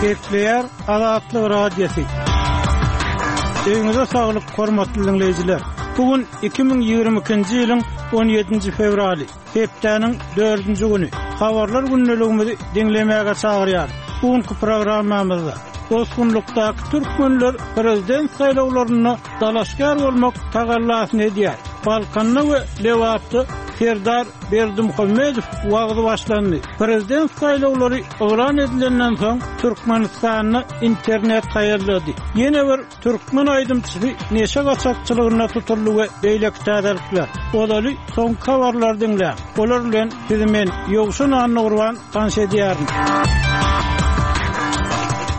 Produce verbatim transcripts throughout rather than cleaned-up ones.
Gepleýär Azatlyk Radiosy. Öýüňize saglyk, hormatly diňleýjiler. Bu gün iki müň ýigrimi ikinji ýylyň on ýedinji fewraly, hepdäniň dördünji güni. Habarlar gündeligimizi diňlemäge çagyrýar. Bu günki programmamyzda bosgunlykdaky türkmenler prezident saýlawlarynda dalaşgär bolmak tagallasyny edýär. Balkanda we Lebapda Serdar Berdimuhamedow wagzy başlandy. Prezident saýlawlary yglan edilenden soň Türkmenistanda internet haýallady. Ýene bir türkmen aýdymçysy neşe gaçakçylygynda tutuldy we beýleki täzelikler. Ozaly soňky habarlary diňläň. Olar bilen sizi men Ýowşan Annagurban tanyş edýärin.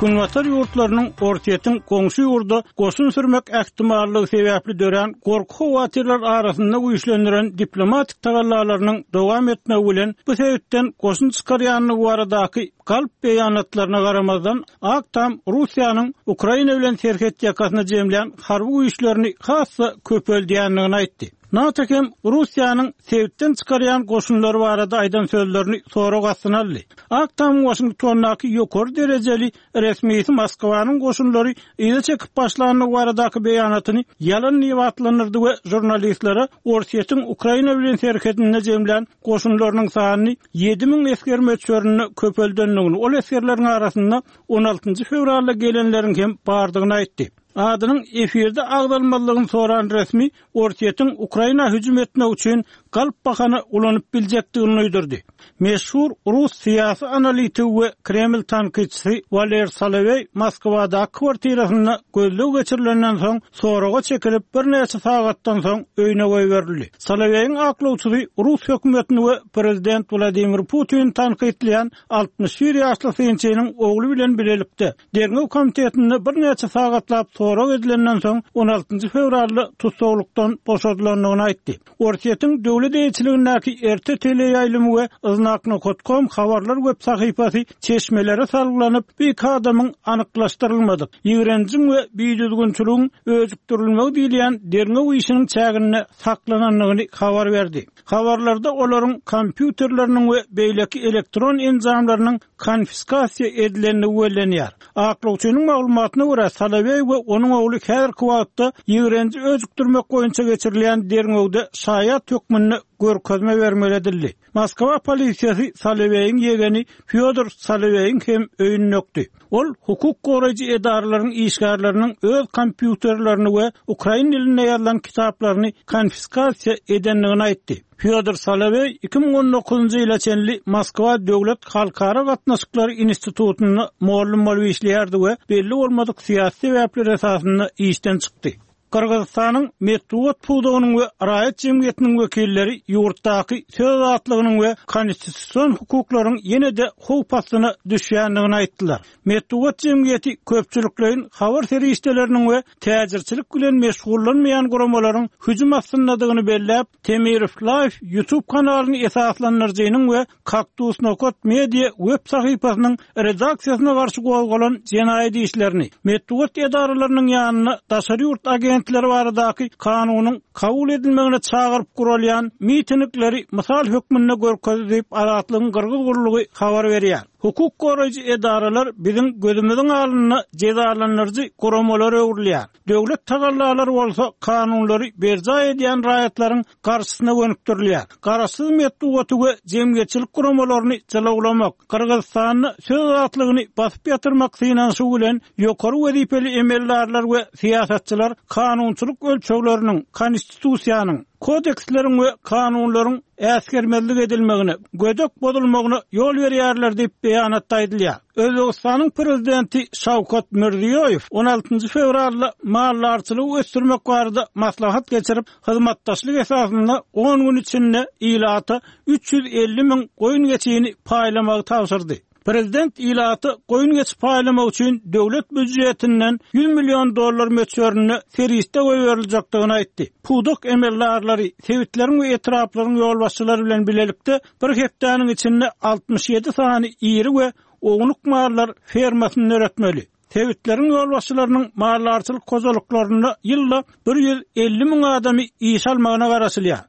Günbatar ýurtlarynyň Orsýetiň goňşy ýurda goşun sürmek ähtimallygy sebäpli dörän gorky howatyrlar arasynda güýçlendiren diplomatik tagallalarynyň dowam etmegi bilen bu sebitden goşun çykarýanlygy baradaky galp beýanatlaryna garamazdan Ak Tam Russiýanyň Ukraina bilen serhet ýakasyna jemlän harby güýçlerini has-da köpeldýändigini aýtdy. NATO hem Russiýanyň sebitden çykarýan goşunlary barada aýdan sözlerini sorag astyna aldy. Ak Tamyň Waşingtondaky ýokary derejeli resmisi Moskwanyň goşunlary yza çekip başlandygy baradaky beýanatyny ýalan diýip atlandyrdy we žurnalistlere Orsýetiň Ukraina bilen serhedinde jemlän goşunlarynyň sanyny ýedi müň esger möçberinde köpeldendigini, ol esgerleriň arasynda on altynjy fewralda gelenleriň hem bardygyny aýtdy. Adynyň efirde agzalmazlygyny soran resmi Orsýetiň Ukraina hüjüm etmek üçin galp bahana ulanyp biljekdigini duýdurdy. Meşhur rus syýasy analitigi we Kreml tankytçysy Waler Soloweý Moskwadaky kwartirasynda gözleg geçirilenden soň soraga çekilip birnäçe sagatdan soň öýüne goýberildi. Soloweýiň aklawçysy rus hökümetini we prezident Wladimir Putin tankytlaýan altmyş bir ýaşly synçynyň ogly bilen bilelikde derňew komitetinde birnäçe sagatlap sorag edilenden soň on altynjy fewralda tussaglykdan boşadylandygyny aýtdy. Orsýetiň döwlet eýeçiligindäki R T teleýaýlymy we Znak nokta com habarlar web sahypasy çeşmelere salgylanyp, bu iki adamyň anyklaşdyrylmadyk, ýigrenjiň we bidüzgünçiligiň öjükdirilmegi diýilýän derňew işiniň çäginde saklanandygyny habar berdi. Habarlarda olaryň kompýuterleriniň we beýleki elektron enjamlarynyň konfiskasiýa edilendigi bellenýär. Aklawçynyň maglumatyna görä, Soloweý we onuň ogly häzirki wagtda ýigrenji öjükdirmek boýunça geçirilýän derňewde şaýat hökmünde görkezme bermeli edildi. Moskwa polisiýasy Soloweýiň ýegeni Fyodor Soloweýiň hem öýüni dökdi. Ol hukuk goraýjy edaralaryň işgärleriniň öz kompýuterlerini we ukrain dilinde ýazylan kitaplaryny konfiskasiýa edendigini aýtdy. Fyodor Soloweý iki müň on dokuzynjy ýyla çenli Moskwa Döwlet Halkara Gatnaşyklary Institutynda mugallym bolup işleýärdi we belli bolmadyk syýasy sebäpler esasynda işden çykdy. Gyrgyzystanyň metbugat pudagynyň we raýat jemgyýetiniň wekilleri ýurtdaky söz azatlygynyň we konstitusion hukuklaryň ýene-de howp astyna düşýändigini aýtdylar. Metbugat jemgyýeti köpçülikleýin habar serişdeleriniň we täjirçilik bilen meşgullanmaýan guramalaryň hüjüm astyndadygyny belläp, Temirow Live YouTube kanalyny esaslandyryjynyň we Kaktus nokta media web sahypasynyň redaksiýasyna garşy gozgalan jenaýat işlerini, metbugat edaralarynyň ýanyna daşary ýurt agentleri baradaky kanunyň kabul edilmegine çagyryp guralýan mitingleri mysal hökmünde görkezdi diýip Azatlygyň Gyrgyz gurlugy habar berýär. Hukuk goraýjy edaralar biziň gözümiziň alnynda jezalandyryjy guramalar öwrülýär. Döwlet tagallalary bolsa kanunlary berjaý edýän raýatlaryň garşysyna gönükdirilýär. Garaşsyz metbugaty we jemgyýetçilik guramalaryny jylawlamak, Gyrgyzystanda söz azatlygyny basyp ýatyrmak synanyşygy bilen ýokary wezipeli emeldarlar we syýasatçylar kanunçylyk ölçegleriniň, konstitusiýanyň, kodeksleriň we kanunlaryň äsgermezlik edilmegine, gödek bozulmagyna ýol berýärler diýip beýanatda aýdylýar. Özbekistanyň prezidenti Şawkat Mirziýoýew on altynjy fewralda maldarçylygy ösdürmek barada maslahat geçirip, hyzmatdaşlyk esasynda on gün içinde ilata üç ýüz elli müň goýun geçini paýlamagy tabşyrdy. Prezident ilata goýun geçi paýlamak üçin döwlet býujetinden ýüz million dollar möçberinde serişde goýberiljekdigini aýtdy. Pudak emeldarlary, sebitleriň we etraplaryň ýolbaşçylary bilen bilelikde bir hepdäniň içinde altmyş ýedi sany iri we ownuk mallar fermasyny döretmeli. Sebitleriňýolbaşçylarynyň maldarçylyk hojalyklarynda ýylda bir ýüz elli müň adamy iş almagyna garaşylýar.